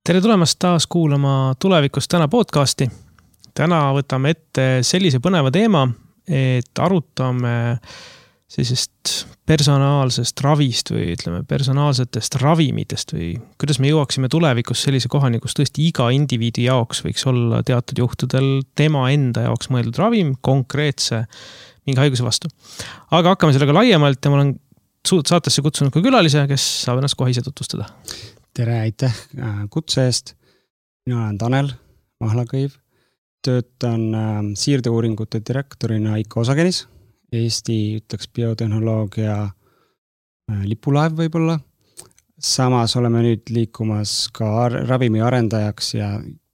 Tere tulemast taas kuulama Tulevikust täna podcasti. Täna võtame ette sellise põneva teema, et arutame sellisest personaalsest ravist või ütleme personaalsetest ravimitest või kuidas me jõuaksime tulevikus sellise kohani, kus tõesti iga indiviidi jaoks võiks olla teatud juhtudel tema enda jaoks mõeldud ravim konkreetse mingi haiguse vastu. Aga hakkame sellega laiemalt ja ma olen saatesse kutsunud ka külalise, kes saab ennast kohe ise tutvustada. Tere, aitäh kutse eest. Mina olen Tanel Mahlakõiv. Töötan siirdeuuringute direktorina IKO Osagenis. Eesti ütleks biotehnoloogia lipulaev võib-olla. Samas oleme nüüd liikumas ka ravimi arendajaks ja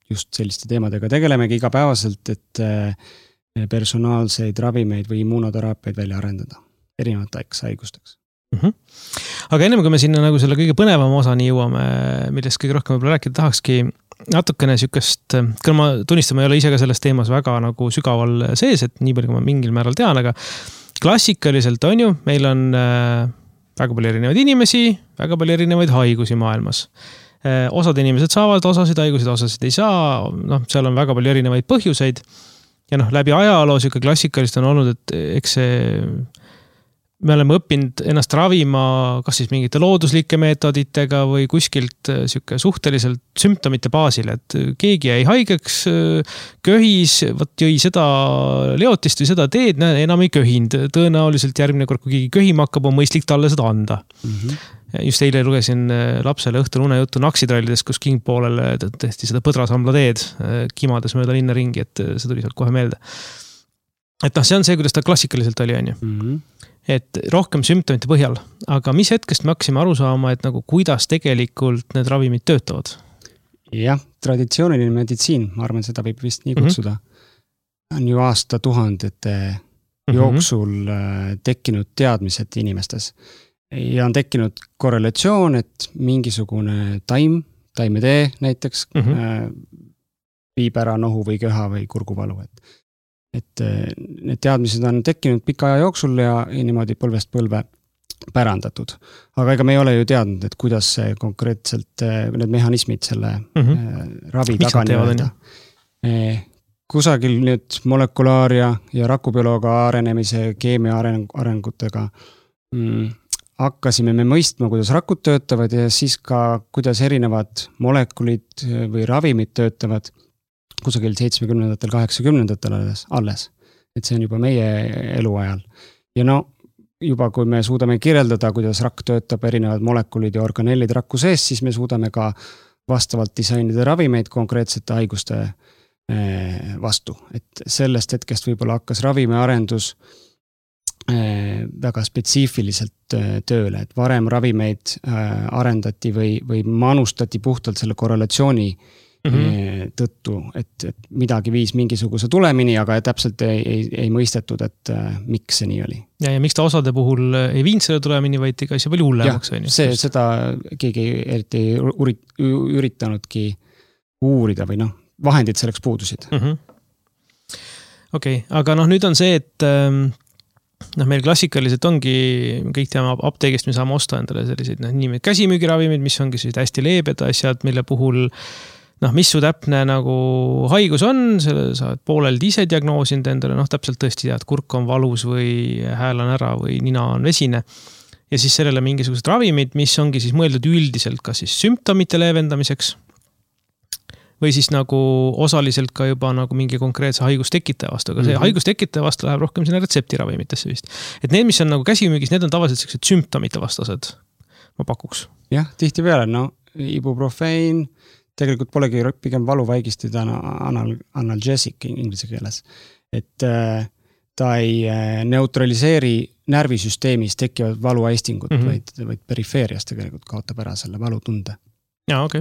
just selliste teemadega tegelemegi igapäevaselt, et personaalseid ravimeid või immunoteraapiaid välja arendada erinevateks haigusteks. Aga ennem kui me sinna nagu selle kõige põnevama osani jõuame, millest kõige rohkem võib-olla rääkida tahakski natukene sükest, küll ma tunnistan, ma ei ole ise ka selles teemas väga nagu sügaval sees, et nii palju kui ma mingil määral tean, aga klassikaliselt on ju, meil on väga palju erinevaid inimesi, väga palju erinevaid haigusi maailmas. Osad inimesed saavad osasid haigusid, osasid ei saa, seal on väga palju erinevaid põhjuseid ja läbi ajaloo süke klassikaliselt on olnud, et eks see me oleme õppinud ennast ravima kas siis mingite looduslike meetoditega või kuskilt süke suhteliselt sümptomite baasil, et keegi jäi haigeks, köhis, jõi seda leotist või seda teed, enam ei köhinud. Tõenäoliselt järgmine kord, kui keegi köhima hakkab, on mõistlik talle seda anda. Just eile lugesin lapsele õhtul unejuttu naksitrallides, kus king poolele tehti seda põdrasambla teed kimades mööda linna ringi, et see tuli sealt kohe meelde. Et see on see, kuidas ta klassikaliselt oli, on ju. Et rohkem sümptomite põhjal, aga mis hetkest me hakkasime aru saama, et nagu kuidas tegelikult need ravimid töötavad? Jah, traditsiooniline meditsiin, ma arvan, seda võib vist nii kutsuda, on ju aastatuhandete jooksul tekkinud teadmised inimestes. Ja on tekkinud korrelatsioon, et mingisugune taimetee näiteks viib ära nohu või köha või kurguvalu, et need teadmised on tekkinud pika aja jooksul ja niimoodi põlvest põlve pärandatud. Aga ega me ei ole ju teadnud, et kuidas see konkreetselt need mehhanismid selle ravi taga nii-öelda. Kusagil nüüd molekulaaria ja rakubiolooga arenemise keemia arengutega hakkasime me mõistma, kuidas rakud töötavad ja siis ka kuidas erinevad molekulid või ravimid töötavad kusagil 70-ndatel, 80-ndatel alles. Et see on juba meie eluajal. Ja juba kui me suudame kirjeldada, kuidas rakk töötab erinevad molekulid ja organellid rakku sees, siis me suudame ka vastavalt disainida ravimeid konkreetsete haiguste vastu. Et sellest hetkest võib-olla hakkas ravimiarendus väga spetsiifiliselt tööle, et varem ravimeid arendati või manustati puhtalt selle korrelatsiooni tõttu, et midagi viis mingisuguse tulemini, aga täpselt ei mõistetud, et miks see nii oli. Ja miks ta osade puhul ei viinud selle tulemini, vaid ikka see palju hullemaks? Ja, seda keegi eriti üritanudki uurida või vahendid selleks puudusid. Okei, aga nüüd on see, et meil klassikaliselt ongi, kõik teame apteegist, me saame osta endale selliseid käsimüügiravimid, mis ongi hästi leebed asjad, mille puhul mis su täpne nagu haigus on, selle saad poolelt ise diagnoosinud endale, täpselt tõesti tead, kurk on valus või hääl on ära või nina on vesine. Ja siis sellele mingisugused ravimid, mis ongi siis mõeldud üldiselt ka siis sümptomite leevendamiseks või siis nagu osaliselt ka juba nagu mingi konkreetse haigustekitaja vastu, aga see haigustekitaja vastu läheb rohkem sinna retseptiravimitesse vist. Et need, mis on nagu käsimüügis, need on tavaliselt sellised sümptomite vastased, ma pakuks. Jah, tihti peale, ibuprofein, tegelikult polegi pigem valuvaigistid analgesic inglise keeles. Et ta ei neutraliseeri närvisüsteemis tekkivad valuaistingud, vaid perifeerias tegelikult kaotab ära selle valutunde. Ja, okei.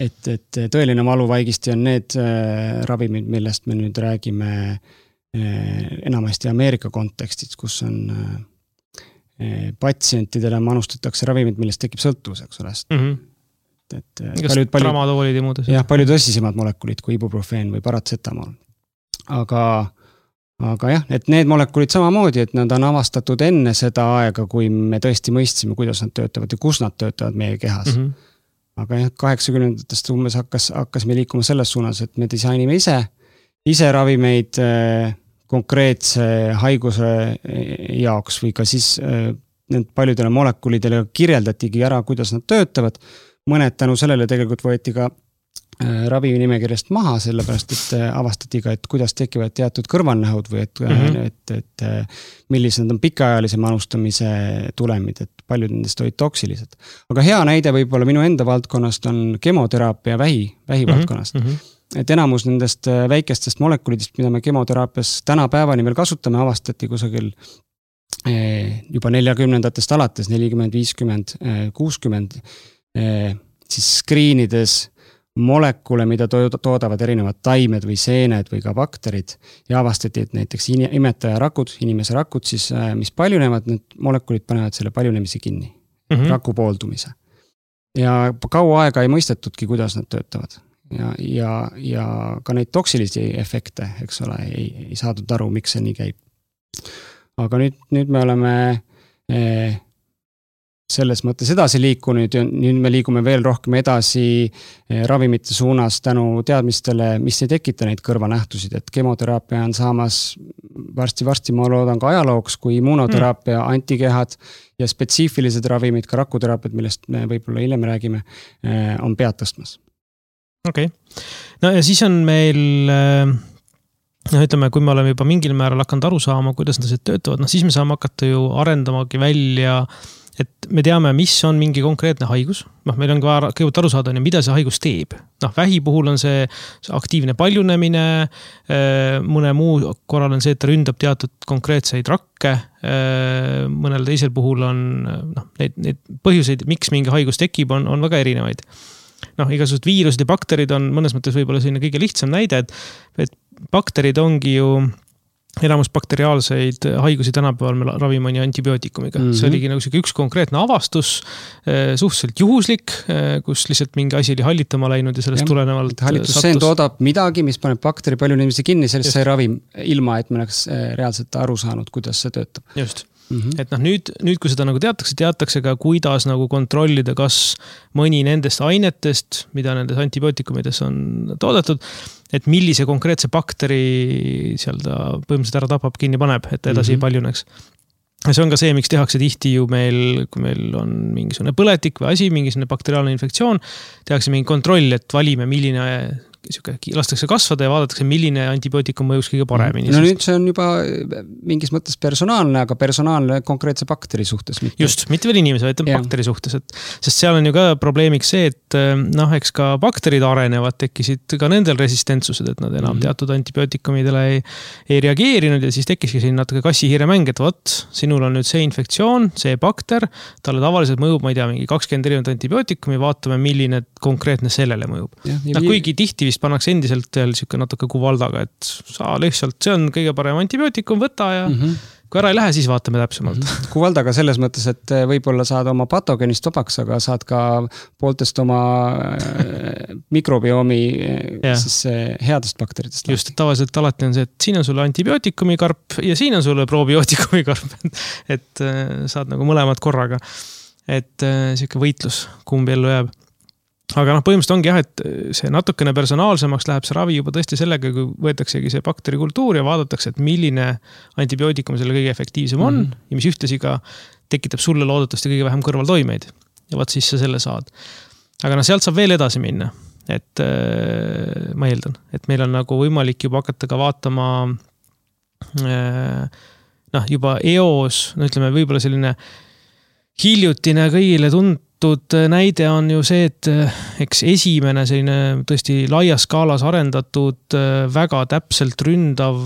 Et tõeline valuvaigisti on need ravimid, millest me nüüd räägime enamasti Ameerika kontekstis, kus on patsientidele manustatakse ravimid, millest tekib sõltuvus, eks ole. Tramadoolid ja muudes. Jah, palju tõsisemad molekulid kui ibuprofeen või paratsetamool. Aga jah, et need molekulid samamoodi, et nad on avastatud enne seda aega, kui me tõesti mõistsime, kuidas nad töötavad ja kus nad töötavad meie kehas. aga jah, 80-ndatest umbes hakkas me liikuma selles suunas, et me disainime ise ravimeid konkreetse haiguse jaoks või ka siis need paljudele molekulidele kirjeldatigi ära, kuidas nad töötavad. Mõned tänu sellele tegelikult võeti ka ravinimekirjast maha, sellepärast et avastati ka, et kuidas tekivad teatud kõrvalnähud või et millised on pikaajalise manustamise tulemid, et paljud nendest olid toksilised. Aga hea näide võib-olla minu enda valdkonnast on kemoteraapia vähi valdkonnast. Et enamus nendest väikestest molekulidest, mida me kemoteraapias tänapäevani veel kasutame, avastati kusagil juba 40-ndatest alates, 40, 50, 60, siis skriinides molekule, mida toodavad erinevad taimed või seened või ka bakterid ja avastati, et näiteks imetaja rakud, inimese rakud siis, mis paljunevad, need molekulid panevad selle paljunemise kinni, raku pooldumise. Ja kaua aega ei mõistetudki, kuidas nad töötavad ja ka neid toksilisi efekte, eks ole, ei saadud aru, miks see nii käib. Aga nüüd me oleme selles mõttes edasi liikunud ja nüüd me liigume veel rohkem edasi ravimite suunas tänu teadmistele, mis ei tekita neid kõrvanähtusid, et kemoteraapia on saamas varsti ma loodan ka ajalooks, kui immunoteraapia, antikehad ja spetsiifilised ravimid, ka rakuteraapiad, millest me võib-olla hiljem räägime, on pead tõstmas. Okei. No ja siis on meil, ütleme, kui me oleme juba mingil määral hakanud aru saama, kuidas nad töötavad, siis me saame hakata ju arendamagi välja, et me teame, mis on mingi konkreetne haigus. Meil on ka kõigepealt aru saada, mida see haigus teeb. Vähi puhul on see aktiivne paljunemine, mõne muu korral on see, et ta ründab teatud konkreetseid rakke, mõnel teisel puhul on neid põhjuseid, miks mingi haigus tekib, on väga erinevaid. Igasugused viirused ja bakterid on mõnes mõttes võib-olla selline kõige lihtsam näide, et bakterid ongi ju enamus bakteriaalseid haigusi tänapäeval me ravime antibiootikumiga. See oligi nagu üks konkreetne avastus, suhteliselt juhuslik, kus lihtsalt mingi asi oli hallitama läinud ja sellest tulenevalt hallitusseen toodab midagi, mis paneb bakteri palju inimesi kinni, sellest sai ravim ilma, et me oleks reaalselt aru saanud, kuidas see töötab. Just. Et nüüd, kui seda nagu teatakse ka, kuidas nagu kontrollida, kas mõni nendest ainetest, mida nendes antibiootikumides on toodetud, et millise konkreetse bakteri seal ta põhimõtteliselt ära tapab, kinni paneb, et edasi ei paljuneks. Ja see on ka see, miks tehakse tihti ju meil, kui meil on mingisugune põletik või asi, mingisugune bakteriaalne infektsioon, tehakse mingi kontroll, et valime, milline lastakse kasvada ja vaadatakse, milline antibiootikum mõjus kõige paremini. No nüüd see on juba mingis mõttes personaalne, aga personaalne konkreetse bakteri suhtes. Just, mitte veel inimese, vaid bakteri suhtes. Sest seal on ju ka probleemiks see, et eks ka bakterid arenevad, tekkisid ka nendel resistentsused, et nad enam teatud antibiootikumidele ei reageerinud ja siis tekkiski siin natuke kassi-hiire mäng, et võt, sinul on nüüd see infektsioon, see bakter, talle tavaliselt mõjub, ma ei tea, mingi 20 erinevat antibiootikumi, vaatame, milline konkreetne sellele mõjub. Kuigi tihti vist pannakse endiselt siuke natuke kuvaldaga, et saa lihtsalt, see on kõige parem antibiootikum, võta ja kui ära ei lähe, siis vaatame täpsemalt. Kuvaldaga selles mõttes, et võib-olla saad oma patogeenist vabaks, aga saad ka pooltest oma mikrobioomi siis headest bakteritest. Just, et tavaliselt alati on see, et siin on sulle antibiootikumi karp ja siin on sulle probiootikumi karp, et saad nagu mõlemad korraga. Et siuke võitlus, kumb ellu jääb. Aga põhimõtteliselt ongi jah, et see natukene personaalsemaks läheb see ravi juba tõesti sellega, kui võetaksegi see bakterikultuur ja vaadatakse, et milline antibiootikum selle kõige efektiivsem on ja mis ühtesi ka tekitab sulle loodetavasti kõige vähem kõrvaltoimeid. Ja vaat siis sa selle saad. Aga sealt saab veel edasi minna. Et ma eeldan, et meil on nagu võimalik juba hakata ka vaatama juba eos, ütleme võib-olla selline hiljutine kõigile näide on ju see, et eks esimene selline tõesti laias skaalas arendatud väga täpselt ründav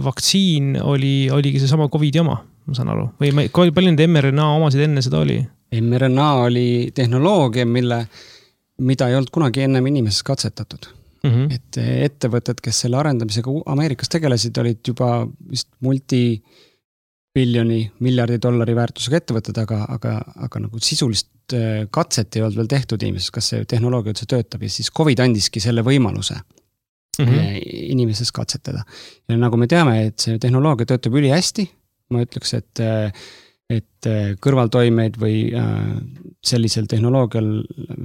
vaktsiin oligi see sama COVID oma, ma saan aru. Või palju need mRNA omasid enne seda oli? mRNA oli tehnoloogia, mida ei olnud kunagi ennem inimeses katsetatud. Et ettevõtted, kes selle arendamisega Ameerikas tegelesid, olid juba vist miljardi dollari väärtusega ettevõtted, aga nagu sisulist katset ei olnud veel tehtud inimeses, kas see tehnoloogia üldse töötab ja siis COVID andiski selle võimaluse inimeses katsetada. Ja nagu me teame, et see tehnoloogia töötab üli hästi, ma ütleks, et et kõrvaltoimeid või sellisel tehnoloogial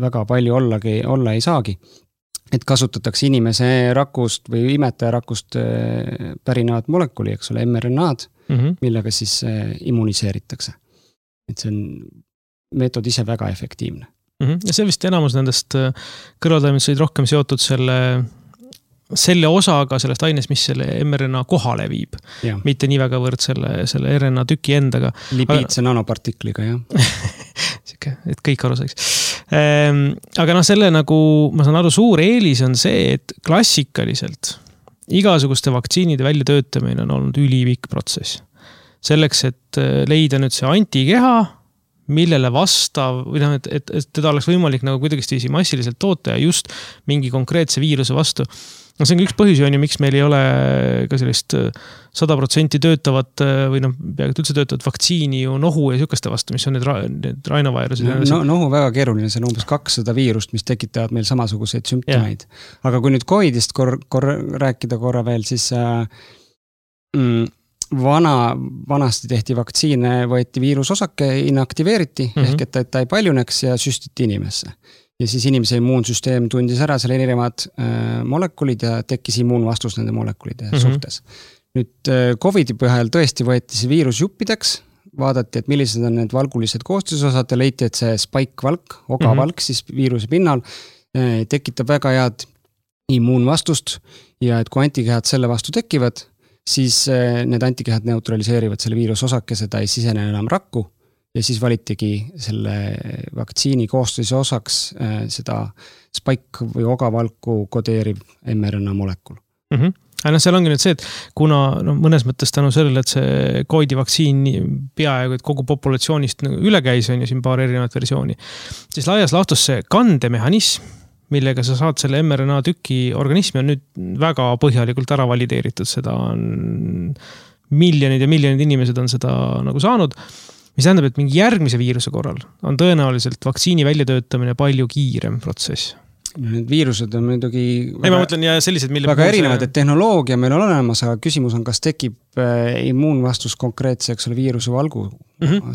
väga palju olla ei saagi. Et kasutatakse inimese rakust või imetaja rakust pärinevat molekuli, eks ole, mRNA-d, millega siis immuniseeritakse. Et see on meetod ise väga efektiivne. Ja see vist enamus nendest kõrvaltoimed olid rohkem seotud selle osaga sellest aines, mis selle mRNA kohale viib. Ja. Mitte nii väga võrd selle RNA tüki endaga. Lipiidse nanopartikliga, jah. Et kõik aru saiks. Aga selle nagu, ma saan aru, suur eelis on see, et klassikaliselt igasuguste vaktsiinide väljatöötamine on olnud ülipikk protsess. Selleks, et leida nüüd see antikeha, millele vastav, või et teda oleks võimalik nagu kuidagi massiliselt toota ja just mingi konkreetse viiruse vastu. No see on üks põhjus, miks meil ei ole ka sellist 100% töötavat või peaaegu üldse töötavat vaktsiini ju nohu ja sükeste vastu, mis on need rainovairused. Nohu väga keeruline, see on umbes 200 viirust, mis tekitavad meil samasuguseid sümptomeid. Aga kui nüüd COVIDist rääkida korra veel, siis vanasti tehti vaktsiine, võeti viirusosake, inaktiveeriti, ehk et ta ei paljuneks ja süstiti inimesse. Ja siis inimese immuunsüsteem tundis ära selle erinevad molekulid ja tekkis immuunvastus nende molekulide suhtes. Nüüd COVIDi põhjal tõesti võeti see viirus juppideks, vaadati, et millised on need valgulised koostisosad ja leiti, et see spike-valk, ogavalk siis viiruse pinnal tekitab väga head immuunvastust ja et kui antikehad selle vastu tekivad, siis need antikehad neutraliseerivad selle viirusosakese, ta ei sisene enam rakku. Ja siis valitigi selle vaktsiini koostise osaks seda spike või ogavalku kodeeriv mRNA molekul. Aga seal ongi nüüd see, et kuna mõnes mõttes tänu sellele, et see COVID-i vaktsiin peaaegu kogu populatsioonist üle käis, on ju siin paar erinevat versiooni, siis laias laastus see kandemehhanism, millega sa saad selle mRNA tüki organismi on nüüd väga põhjalikult ära valideeritud. Seda on miljonid ja miljonid inimesed on seda nagu saanud. Mis tähendab, et mingi järgmise viiruse korral on tõenäoliselt vaktsiini väljatöötamine palju kiirem protsess. Need viirused on muidugi ma mõtlen ja sellised, väga erinevad, et tehnoloogia meil on olemas, aga küsimus on, kas tekib immuunvastus konkreetseks viiruse valgu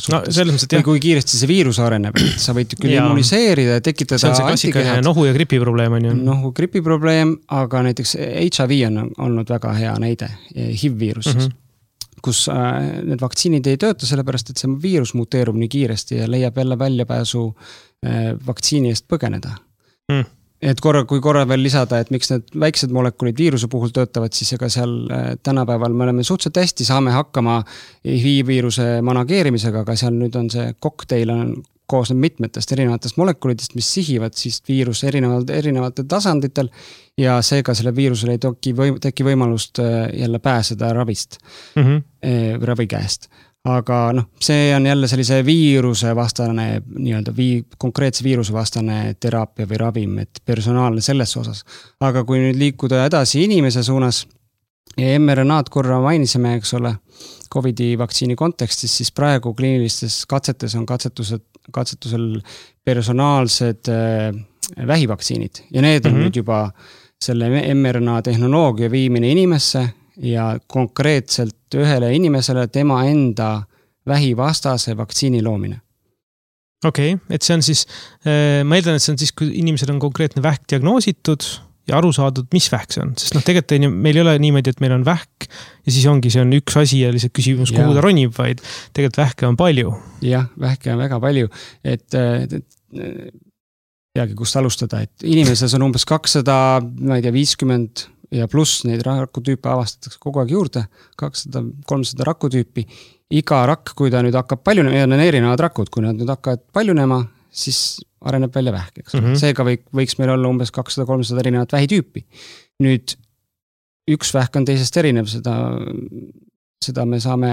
suhtes. Või kui kiiresti see viirus areneb, et sa võid küll immuniseerida ja tekitada see on see klassikaline nohu ja gripi probleem on ju. Nohu gripi probleem, aga näiteks HIV on olnud väga hea näide, HIV-viirus siis. Kus need vaktsiinid ei tööta sellepärast, et see viirus muteerub nii kiiresti ja leiab jälle väljapääsu vaktsiini eest põgeneda. Et kui korra veel lisada, et miks need väiksed molekulid viiruse puhul töötavad, siis ega seal tänapäeval me oleme suhteliselt hästi, saame hakkama HIV-viiruse manageerimisega, aga seal nüüd on see kokteil koosneb mitmetest erinevatest molekulidest, mis sihivad siis viirus erinevatel tasanditel ja seega selle viirusele ei teki võimalust jälle pääseda ravist, ravi käest. Aga see on jälle sellise viiruse vastane, konkreetse viiruse vastane teraapia või ravim, et personaalne selles osas. Aga kui nüüd liikuda edasi inimese suunas ja mRNA-d korra mainisime, eks ole, COVID-i vaktsiini kontekstis, siis praegu kliinilistes katsetes on katsetusel personaalsed vähivaktsiinid ja need on nüüd juba selle mRNA tehnoloogia viimine inimesse ja konkreetselt ühele inimesele tema enda vähivastase vaktsiini loomine. Okei, et see on siis, ma eeldan, et see on siis, kui inimesel on konkreetne vähk diagnoositud ja aru saadud, mis vähk see on. Sest tegelikult meil ei ole niimoodi, et meil on vähk ja siis ongi, see on üks asi ja lihtsalt küsimus, kuhu ta ronib, vaid tegelikult vähke on palju. Jah, vähke on väga palju, et peagi kust alustada, et inimeses on umbes 250 ja pluss neid rakutüüpe avastatakse kogu aeg juurde, 200-300 rakutüüpi. Iga rakk, kui ta nüüd hakkab paljunema, ja on erinevad rakud, kui nad nüüd hakkavad paljunema, siis areneb välja vähk. Seega võiks meil olla umbes 200-300 erinevat vähitüüpi. Nüüd üks vähk on teisest erinev, seda me saame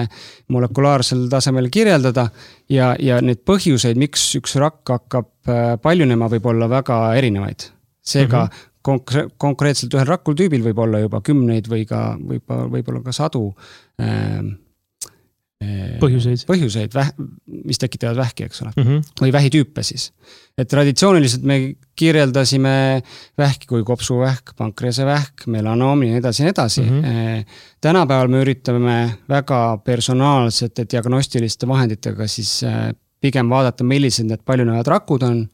molekulaarsel tasemel kirjeldada ja need põhjuseid, miks üks rakk hakkab paljunema, võib olla väga erinevaid. Seega konkreetselt ühel rakultüübil võib olla juba 10 või võib-olla ka 100 põhjuseid, mis tekitavad vähki, eks ole, või vähitüüpe siis. Et traditsiooniliselt me kirjeldasime vähki kui kopsuvähk, pankrease vähk, melanoom ja nii edasi. Tänapäeval me üritame väga personaalsete diagnostiliste vahenditega siis pigem vaadata, millised need paljunevad rakud on,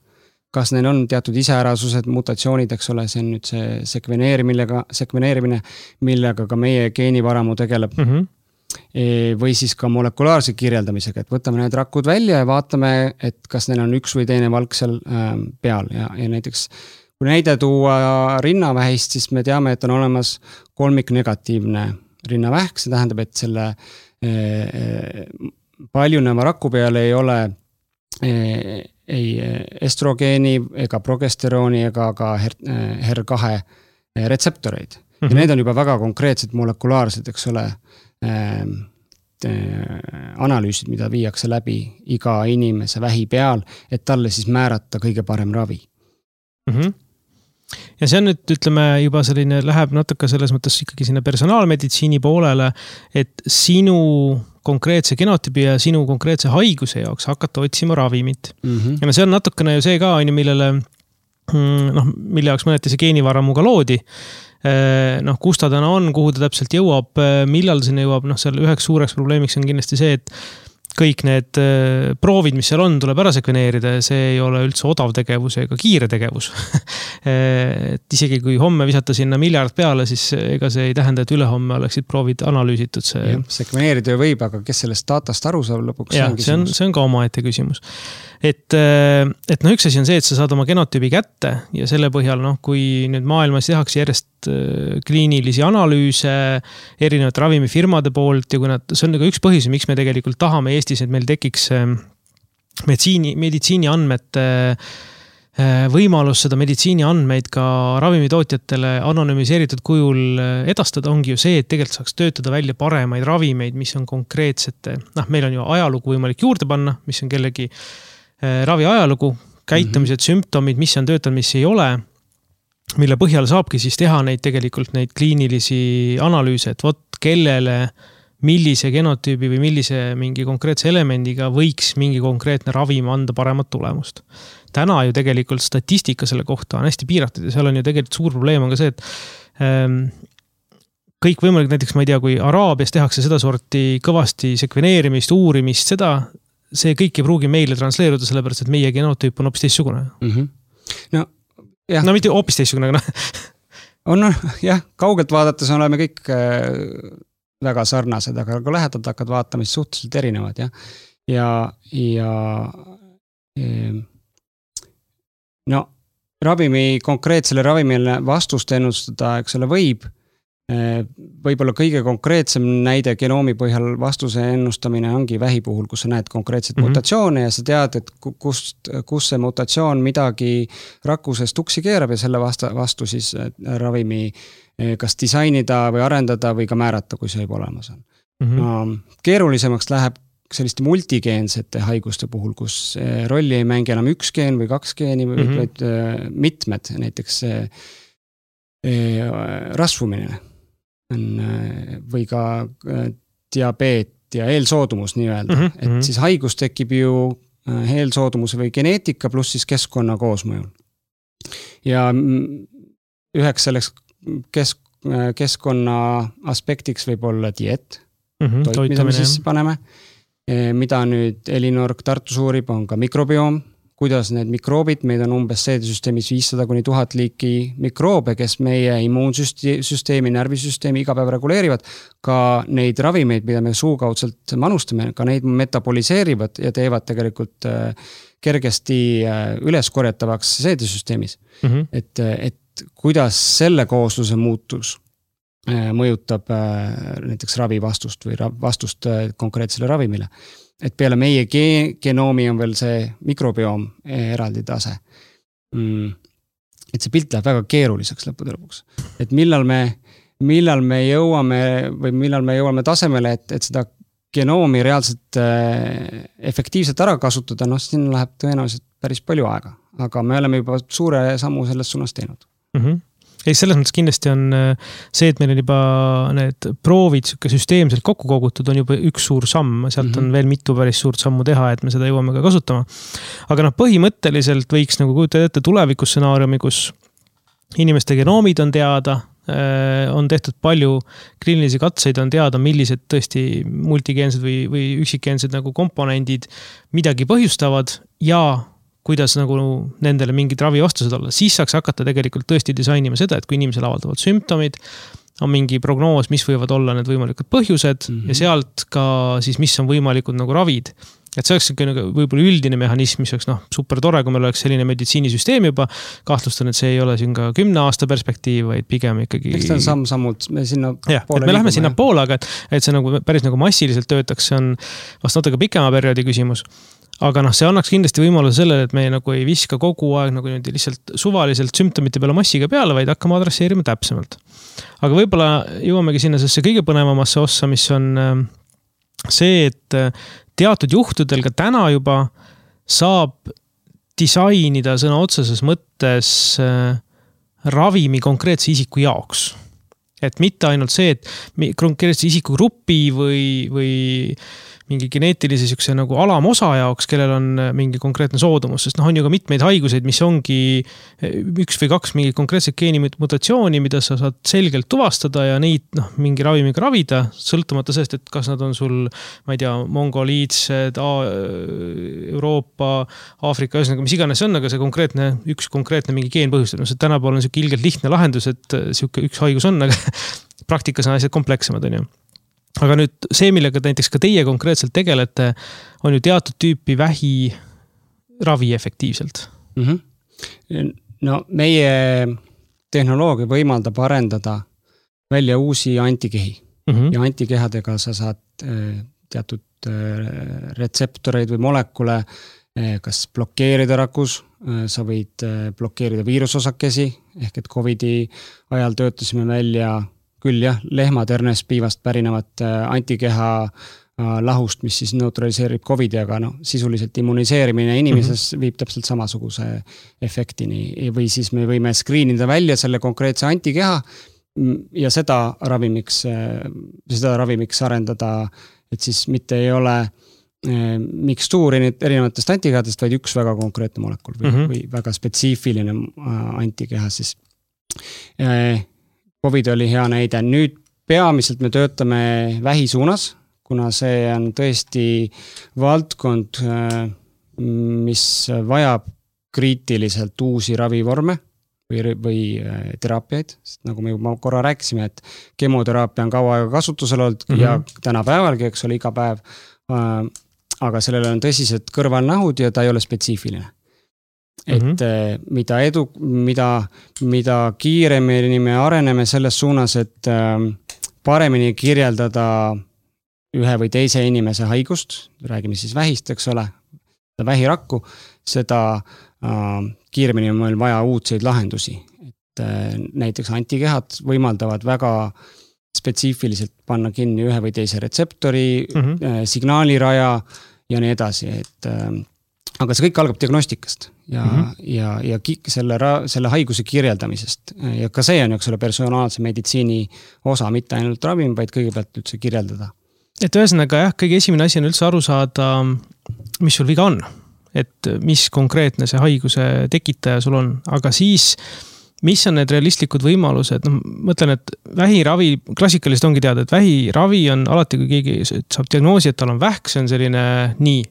kas neil on teatud iseärasused, mutatsioonid, eks ole, see on nüüd see sekveneerimine, millega ka meie geenivaramu tegeleb. Või siis ka molekulaarse kirjeldamisega, et võtame need rakud välja ja vaatame, et kas neil on üks või teine valk seal peal ja näiteks kui näide tuua rinnavähist, siis me teame, et on olemas kolmiknegatiivne rinnavähk, see tähendab, et selle paljuneva raku peal ei ole ei estrogeeni ega progesterooni ega ka HER2 retseptoreid. Ja need on juba väga konkreetsed molekulaarsed, eks ole, analüüsid, mida viiakse läbi iga inimese vähi peal, et talle siis määrata kõige parem ravi. Ja see on nüüd, ütleme, juba selline läheb natuke selles mõttes ikkagi sinna personaalmeditsiini poolele, et sinu konkreetse genotüübi ja sinu konkreetse haiguse jaoks hakata otsima ravimit. Ja see on natukene ju see ka, millele, mille jaoks mõneti see geenivaramuga loodi. Kus ta täna on, kuhu ta täpselt jõuab, millal sinna jõuab, seal üheks suureks probleemiks on kindlasti see, et kõik need proovid, mis seal on, tuleb ära sekveneerida ja see ei ole üldse odav tegevus ega kiire tegevus. Et isegi kui homme visata sinna miljard peale, siis ega see ei tähenda, et ülehomme oleksid proovid analüüsitud. Sekveneerida võib, aga kes sellest datast aru saab lõpuks? Ja, see on ka omaette küsimus. Et üks asi on see, et sa saad oma genotüübi kätte ja selle põhjal, kui nüüd maailmas tehakse järjest kliinilisi analüüse erinevate ravimifirmade poolt ja kui see on ka üks põhjus, miks me tegelikult tahame Eestis, et meil tekiks meditsiini andmete võimalus seda meditsiini andmeid ka ravimitootjatele anonüümiseeritud kujul edastada ongi ju see, et tegelikult saaks töötada välja paremaid ravimeid, mis on konkreetsete, meil on ju ajalugu võimalik juurde panna, mis on kellegi ravi ajalugu, käitumised, sümptomid, mis on töötanud, mis ei ole, mille põhjal saabki siis teha neid kliinilisi analüüse, et kellele, millise genotüübi või millise mingi konkreetse elemendiga võiks mingi konkreetne ravim anda paremat tulemust. Täna ju tegelikult statistika selle kohta on hästi piiratud ja seal on ju tegelikult suur probleem on ka see, et kõik võimalik, näiteks ma ei tea, kui Araabias tehakse seda sorti kõvasti sekveneerimist, uurimist, see kõik ei pruugi meile transleeruda, sellepärast, et meie genotüüp on hoopis teistsugune. Mitte hoopis teistsugune, aga kaugelt vaadates oleme kõik väga sarnased, aga kui lähedalt hakkad vaatama, siis suhteliselt erinevad. Konkreetsele ravimile vastust ennustada, eks ole, võib-olla kõige konkreetsem näide genoomi põhjal vastuse ennustamine ongi vähi puhul, kus sa näed konkreetset mutatsioone ja sa tead, et kus see mutatsioon midagi rakkuses tuksi keerab ja selle vastu siis ravimi kas disainida või arendada või ka määrata, kui see juba olemas on. Keerulisemaks läheb selliste multigeensete haiguste puhul, kus rolli ei mängi enam üks geen või kaks geeni, vaid mitmed, näiteks rasvumine või ka diabeet ja eelsoodumus nii-öelda. Et siis haigus tekib ju eelsoodumus või geneetika pluss siis keskkonna koosmõjul. Ja üheks selleks keskkonna aspektiks võib olla diet, toit, mida me sisse paneme, mida nüüd Elinor Tartus uurib, on ka mikrobioom, kuidas need mikroobid, meid on umbes seedesüsteemis 500–1000 liiki mikroobe, kes meie immuunsüsteemi, närvisüsteemi iga päev reguleerivad, ka neid ravimeid, mida me suukaudselt manustame, ka neid metaboliseerivad ja teevad tegelikult kergesti üleskorjatavaks seedesüsteemis. Et kuidas selle koosluse muutus mõjutab näiteks ravivastust või vastust konkreetsele ravimile. Et peale meie genoomi on veel see mikrobioom eraldi tase. Et see pilt läheb väga keeruliseks lõppude lõpuks. Et millal me jõuame tasemele, et seda genoomi reaalselt efektiivselt ära kasutada, siin läheb tõenäoliselt päris palju aega. Aga me oleme juba suure sammu selles suunas teinud. Ei, selles mõttes kindlasti on see, et meil on juba need proovid süsteemselt kokku kogutud, on juba üks suur samm. Sealt on veel mitu päris suurt sammu teha, et me seda jõuame ka kasutama. Aga põhimõtteliselt võiks nagu kujutada ette tulevikussenaariumi, kus inimeste genoomid on teada, on tehtud palju kliinilisi katseid, on teada, millised tõesti multigeensed või üksikgeensed nagu komponendid midagi põhjustavad ja kuidas nagu nendele mingid ravivastused olla. Siis saaks hakata tegelikult tõesti disainima seda, et kui inimesel avaldavad sümptomid, on mingi prognoos, mis võivad olla need võimalikud põhjused ja sealt ka siis, mis on võimalikud nagu ravid. Et see oleks võib-olla üldine mehhanism, mis oleks super tore, kui meil oleks selline meditsiinisüsteem juba. Kahtlustan, et see ei ole siin ka 10 aasta perspektiiv, vaid pigem ikkagi... Eks ta on samm-sammult, me sinna poole me läheme sinna poole, aga et see nagu päris nagu massiliselt töötaks, see on vast natuke pikema perioodi küsimus. Aga see annaks kindlasti võimaluse sellele, et me nagu ei viska kogu aeg nagu lihtsalt suvaliselt sümptomite peale massiga peale, vaid hakkame adresseerima täpsemalt. Aga võib-olla jõuamegi sinna sellesse kõige põnevamasse ossa, mis on see, et teatud juhtudel ka täna juba saab disainida sõna otseses mõttes ravimi konkreetse isiku jaoks. Et mitte ainult see, et konkreetse isiku grupi või mingi geneetilise sükse nagu alamosa jaoks, kellel on mingi konkreetne soodumus, sest on ju ka mitmeid haiguseid, mis ongi 1 või 2 mingi konkreetset geenimutatsiooni, mida sa saad selgelt tuvastada ja neid mingi ravimiga ravida, sõltumata sellest, et kas nad on sul, ma ei tea, mongoliidsed, Euroopa, Aafrika, ühesõnaga, mis iganes see on, aga see üks konkreetne mingi geen põhjustab. See tänapäeval on selline ilgelt lihtne lahendus, et üks haigus on, aga praktikas on asjad komplekssemad, on ju. Aga nüüd see, millega näiteks ka teie konkreetselt tegelete, on ju teatud tüüpi vähi ravi efektiivselt. No meie tehnoloogia võimaldab arendada välja uusi antikehi. Ja antikehadega sa saad teatud retseptoreid või molekule kas blokeerida rakus, sa võid blokeerida viirusosakesi, ehk et COVID-i ajal töötasime välja küll jah, lehmaternest piivast pärinevat antikeha lahust, mis siis neutraliseerib COVID-i, aga sisuliselt immuniseerimine inimeses viib täpselt samasuguse efektini. Või siis me võime screenida välja selle konkreetse antikeha ja seda ravimiks arendada, et siis mitte ei ole mikstuuri erinevatest antikehadest, vaid üks väga konkreetne molekul või väga spetsiifiline antikeha siis. COVID oli hea näide. Nüüd peamiselt me töötame vähi suunas, kuna see on tõesti valdkond, mis vajab kriitiliselt uusi ravivorme või teraapiaid. Sest nagu me juba korra rääkisime, et kemoteraapia on kaua aega kasutusel olnud ja tänapäevalgi, eks ole, iga päev. Aga sellele on tõsised kõrvalnahud ja ta ei ole spetsiifiline. Et mida kiiremini me areneme selles suunas, et paremini kirjeldada ühe või teise inimese haigust, räägime siis vähist, eks ole, vähirakku, seda kiiremini on meil vaja uudseid lahendusi. Et näiteks antikehad võimaldavad väga spetsiifiliselt panna kinni ühe või teise retseptori, signaaliraja ja nii edasi, et aga see kõik algab diagnostikast ja selle haiguse kirjeldamisest. Ja ka see on selle personaalse meditsiini osa, mitte ainult ravim, vaid kõigepealt üldse kirjeldada. Et ühesõnaga jah, kõige esimene asi on üldse aru saada, mis sul viga on. Et mis konkreetne see haiguse tekitaja sul on. Aga siis, mis on need realistlikud võimalused? Mõtlen, et vähiravi, klassikaliselt ongi teada, et vähiravi on alati, kui keegi saab diagnoosi, et tal on vähk, see on selline nii.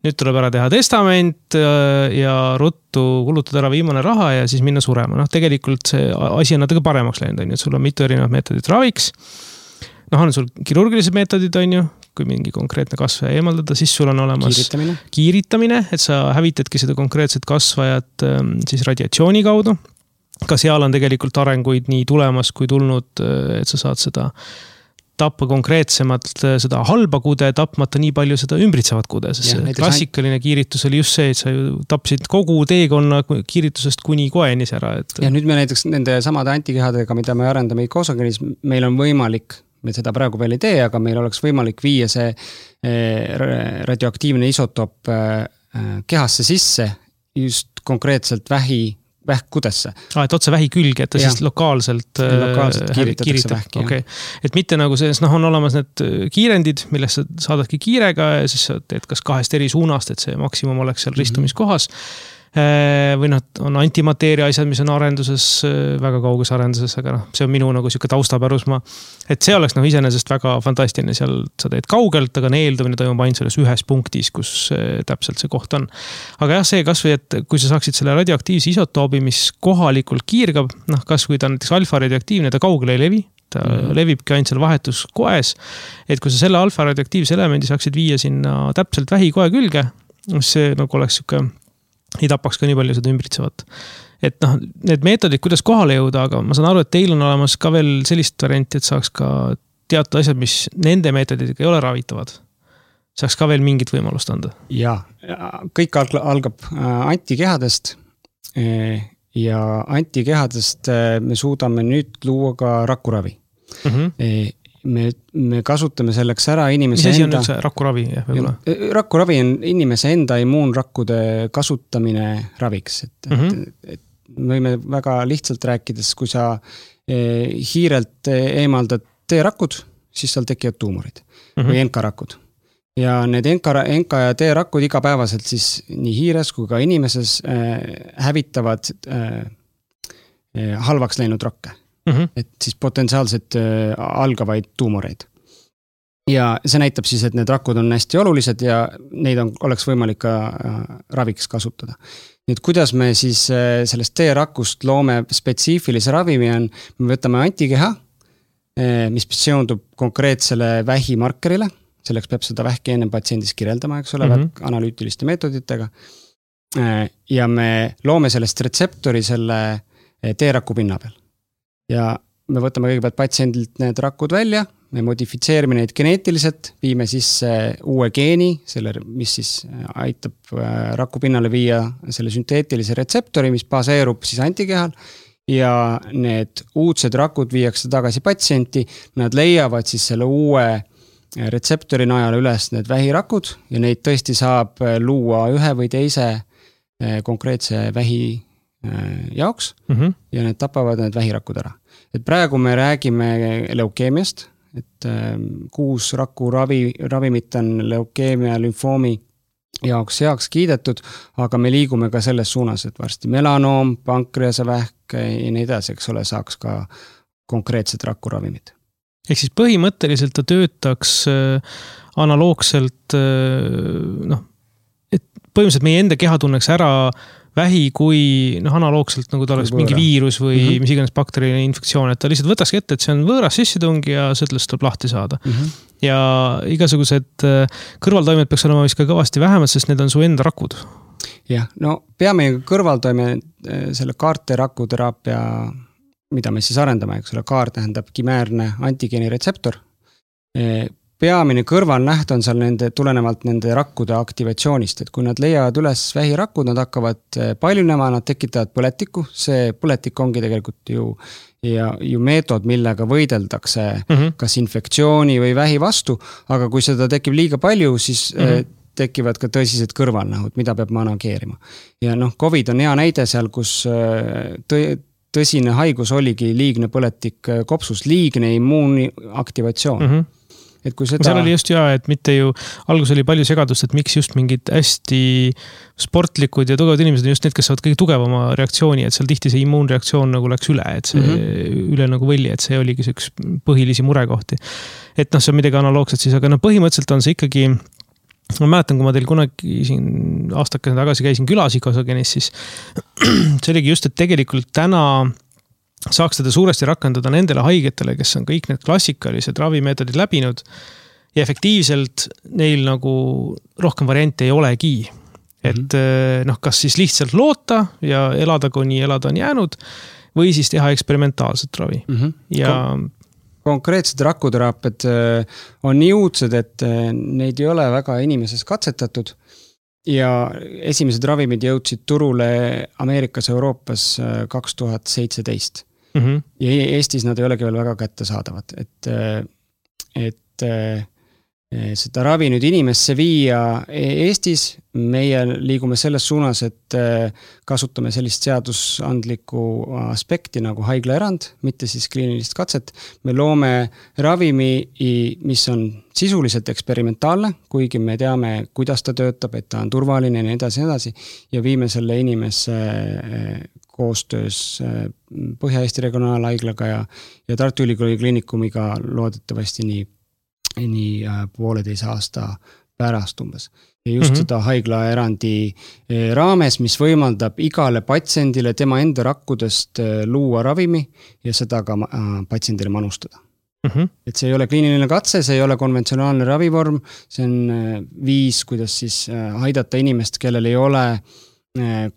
Nüüd tuleb ära teha testament ja ruttu kulutada ära viimane raha ja siis minna surema. Tegelikult see asi on natuke paremaks läinud, et sul on mitu erinevat meetodit raviks. On sul kirurgilised meetodid, kui mingi konkreetne kasvaja eemaldada, siis sul on olemas kiiritamine, et sa hävitadki seda konkreetset kasvajat siis radiatsiooni kaudu. Ka seal on tegelikult arenguid nii tulemas kui tulnud, et sa saad seda tappa konkreetsemalt seda halba kude, tapmata nii palju seda ümbritsevat kude, sest klassikaline kiiritus oli just see, et sa ju tapsid kogu teekonna kiiritusest kuni koenis ära. Ja nüüd me näiteks nende samade antikehadega, mida me arendame ikosogenis, meil on võimalik, me seda praegu veel ei tee, aga meil oleks võimalik viia see radioaktiivne isotop kehasse sisse just konkreetselt vähi vähkkudesse. Et otse vähi külge, et ta siis lokaalselt kiiritatakse vähki. Okay. Et mitte nagu selles, on olemas need kiirendid, millest sa saadadki kiirega ja siis sa teed kas 2 eri suunast, et see maksimum oleks seal ristumiskohas. Või on antimateeria asjad, mis on arenduses, väga kauges arenduses, aga see on minu nagu siuke taustapärusma. Et see oleks iseenesest väga fantastiline, seal sa teed kaugelt, aga neeldumine toimub ainult selles ühes punktis, kus täpselt see koht on. Aga jah, see kasvõi, et kui sa saaksid selle radioaktiivse isotoobi, mis kohalikult kiirgab, kasvõi ta on näiteks alfa radioaktiivne, ta kaugele ei levi, ta levibki ainult seal vahetuskoes, et kui sa selle alfa radioaktiivse elemendi saaksid viia sinna täpselt vähikoe külge, see nagu oleks siuke ei tapaks ka nii palju seda ümbritsevat. Et need meetodid, kuidas kohale jõuda, aga ma saan aru, et teil on olemas ka veel sellist varianti, et saaks ka teatud asjad, mis nende meetodidega ei ole ravitavad. Saaks ka veel mingit võimalust anda. Ja, kõik algab antikehadest ja antikehadest me suudame nüüd luua ka rakuravi. Me kasutame selleks ära inimese enda... Mis asi on üldse rakuravi? Rakuravi on inimese enda immuunrakkude kasutamine raviks. Et me võime väga lihtsalt rääkides, kui sa hiirelt eemaldad T-rakud, siis seal tekivad tuumorid või NK-rakud. Ja need NK ja T-rakud igapäevaselt siis nii hiires kui ka inimeses hävitavad halvaks läinud rakke. Et siis potentsiaalselt algavaid tuumoreid. Ja see näitab siis, et need rakud on hästi olulised ja neid oleks võimalik ka raviks kasutada. Nüüd kuidas me siis sellest T-rakust loome spetsiifilise ravimi on, me võtame antikeha, mis seondub konkreetsele vähimarkerile, selleks peab seda vähki enne patsiendis kirjeldama, eks ole, analüütiliste meetoditega. Ja me loome sellest retseptori selle T-raku pinna peal. Ja me võtame kõigepealt patsiendilt need rakud välja, me modifitseerime neid geneetiliselt, viime sisse uue geeni, mis siis aitab raku pinnale viia selle sünteetilise retseptori, mis baseerub siis antikehal ja need uudsed rakud viiakse tagasi patsienti, nad leiavad siis selle uue retseptori najal üles need vähirakud ja neid tõesti saab luua ühe või teise konkreetse vähi jaoks ja need tapavad need vähirakud ära. Et praegu me räägime leukeemiast, et 6 raku ravimit on leukeemia lümfoomi jaoks heaks kiidetud, aga me liigume ka selles suunas, et varsti melanoom, pankreasevähk ja nii edasi, eks ole, saaks ka konkreetsed rakuravimid. Ehk siis põhimõtteliselt ta töötaks analoogselt, et põhimõtteliselt meie enda keha tunneks ära vähi kui analoogselt nagu ta oleks mingi viirus või mis iganes bakteriline infektsioon, et ta lihtsalt võtakski ette, et see on võõras sissetung ja sellest tuleb lahti saada. Ja igasugused kõrvaltoimed peaks olema vist ka kõvasti vähemalt, sest need on su enda rakud. Jah, peame kõrvaltoime selle kaarte rakuteraapia, mida me siis arendame, eks ole, kaar tähendab kimäärne antigeeni retseptor. Peamine kõrvalnäht on seal tulenevalt nende rakkude aktivatsioonist, et kui nad leiavad üles vähirakud, nad hakkavad paljunema, nad tekitavad põletikku, see põletik ongi tegelikult ju meetod, millega võideldakse kas infektsiooni või vähi vastu, aga kui seda tekib liiga palju, siis tekivad ka tõsised kõrvalnähud, mida peab manageerima. Ja COVID on hea näide seal, kus tõsine haigus oligi liigne põletik kopsus, liigne immuuniaktivatsioon. Et kui seda... Seal oli just et mitte ju, algus oli palju segadust, et miks just mingid hästi sportlikud ja tugevad inimesed on just need, kes saavad kõige tugevama reaktsiooni, et seal tihti see immuunreaktsioon nagu läks üle, et see üle nagu võlli, et see oligi see üks põhilisi murekohti. Et see on midagi analoogset siis, aga põhimõtteliselt on see ikkagi, ma mäletan, kui ma teil kunagi siin aastakene tagasi käisin külas Ikosogenis, siis see oligi just, et tegelikult täna saaks teda suuresti rakendada nendele haigetele, kes on kõik need klassikalised ravimeetodid läbinud ja efektiivselt neil nagu rohkem variante ei olegi. Et kas siis lihtsalt loota ja elada, kuni elada on jäänud või siis teha eksperimentaalset ravi. Ja konkreetsed rakuteraapiad on nii uudsed, et neid ei ole väga inimeses katsetatud ja esimesed ravimid jõudsid turule Ameerikas, Euroopas 2017. Ja Eestis nad ei olegi veel väga kättesaadavad, et seda ravi nüüd inimesse viia Eestis. Meie liigume selles suunas, et kasutame sellist seadusandlikku aspekti nagu haiglaerand, mitte siis kliinilist katset. Me loome ravimi, mis on sisuliselt eksperimentaalne, kuigi me teame, kuidas ta töötab, et ta on turvaline ja nii edasi, ja viime selle inimesse koostöös Põhja-Eesti regionaalhaiglaga ja Tartu Ülikooli kliinikumiga loodetavasti nii 1,5 aasta pärast umbes. Ja just seda haiglaerandi raames, mis võimaldab igale patsiendile tema enda rakkudest luua ravimi ja seda ka patsiendile manustada. Et see ei ole kliiniline katse, see ei ole konventsionaalne ravivorm, see on viis, kuidas siis aidata inimest, kellel ei ole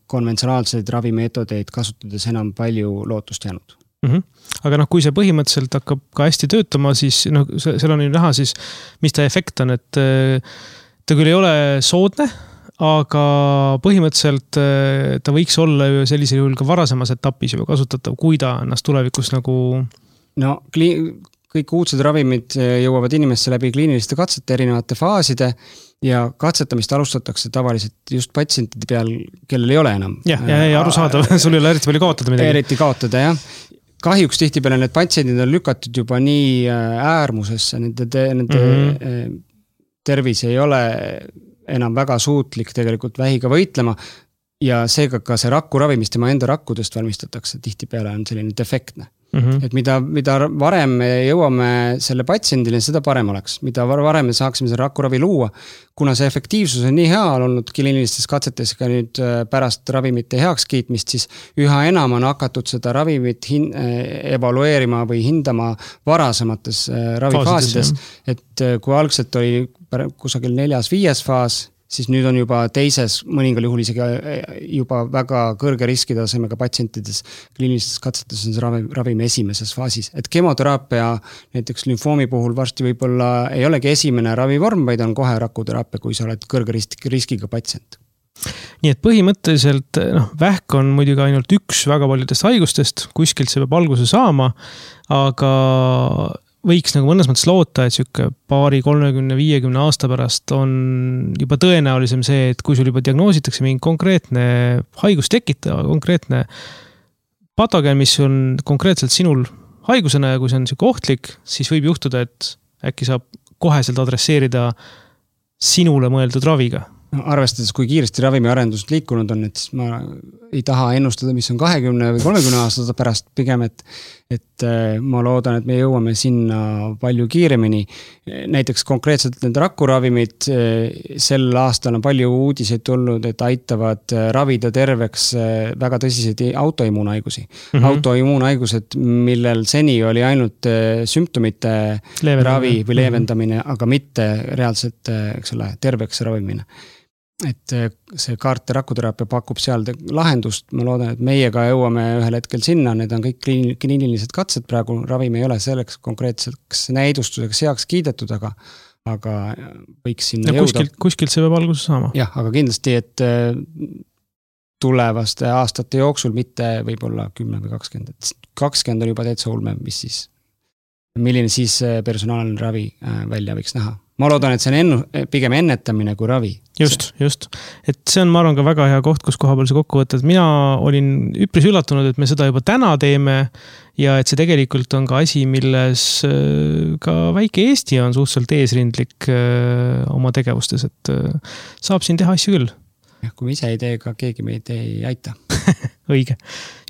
konventsionaalseid ravimeetodeid kasutades enam palju lootust jäänud. Aga kui see põhimõtteliselt hakkab ka hästi töötama, siis seal on ju näha siis, mis ta efekt on, et ta küll ei ole soodne, aga põhimõtteliselt ta võiks olla ju sellisel juhul ka varasemas etapis juba kasutatav, kui ta ennast tulevikus nagu... No kõik uudsed ravimid jõuavad inimesse läbi kliiniliste katsete erinevate faaside ja katsetamist alustatakse tavaliselt just patsientide peal, kellel ei ole enam. Ja arusaadav, sul ei ole eriti palju kaotada midagi. Eriti kaotada, jah. Kahjuks tihtipeale need patsiendid on lükatud juba nii äärmusesse, nende tervis ei ole enam väga suutlik tegelikult vähiga võitlema ja seega ka see rakkuravi, mis tema enda rakkudest valmistatakse, tihtipeale on selline defektne. Et mida varem me jõuame selle patsiendile, seda parem oleks. Mida varem me saaksime selle rakkuravi luua, kuna see efektiivsus on nii hea olnud kliinilistes katsetes ka nüüd pärast ravimite heaks kiitmist, siis üha enam on hakatud seda ravimit evalueerima või hindama varasemates ravifaasides. Et kui algselt oli kusagil 4.–5. faas, siis nüüd on juba teises, mõningal juhul isegi juba väga kõrge riskitasemega patsientides kliinilistes katsetes on see ravimi esimeses faasis. Et kemoteraapia näiteks lümfoomi puhul varsti võib-olla ei olegi esimene ravivorm, vaid on kohe rakuteraapia, kui sa oled kõrge riskiga patsient. Nii et põhimõtteliselt vähk on muidugi ainult üks väga paljudest haigustest, kuskilt see peab alguse saama, aga võiks nagu mõnes mõttes loota, et siuke 30-50 aasta pärast on juba tõenäolisem see, et kui sul juba diagnoositakse mingi konkreetne haigus tekitava, konkreetne patogen, mis on konkreetselt sinul haigusena ja kui see on siuke ohtlik, siis võib juhtuda, et äkki saab koheselt adresseerida sinule mõeldud raviga. Arvestades, kui kiiresti ravimiarendused liikunud on, et siis ma ei taha ennustada, mis on 20 või 30 aastat pärast pigem, et ma loodan, et me jõuame sinna palju kiiremini. Näiteks konkreetselt need rakkuravimid sel aastal on palju uudiseid tulnud, et aitavad ravida terveks väga tõsiseid autoimmuunhaigusi. Autoimmuunhaigused, millel seni oli ainult sümptomite ravi või leevendamine, aga mitte reaalselt terveks ravimine. Et see kaarte rakuteraapia pakub seal lahendust, ma loodan, et meiega jõuame ühel hetkel sinna, need on kõik kliinilised katsed, praegu ravim ei ole selleks konkreetseks näidustuseks heaks kiidetud, aga võiks sinna jõuda. Kuskilt see peab alguse saama. Jah, aga kindlasti, et tulevaste aastate jooksul mitte võib-olla 10 või 20. 20 on juba täitsa ulme, milline siis personaalne ravi välja võiks näha. Ma loodan, et see on pigem ennetamine kui ravi. Just. Et see on, ma arvan, ka väga hea koht, kus koha peal see kokku võtta. Et mina olin üpris üllatunud, et me seda juba täna teeme ja et see tegelikult on ka asi, milles ka väike Eesti on suhteliselt eesrindlik oma tegevustes, et saab siin teha asju küll. Ja, kui me ise ei tee, ka keegi meid ei aita. Õige.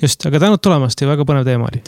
Just, aga tänud tulemast ja väga põnev teema oli.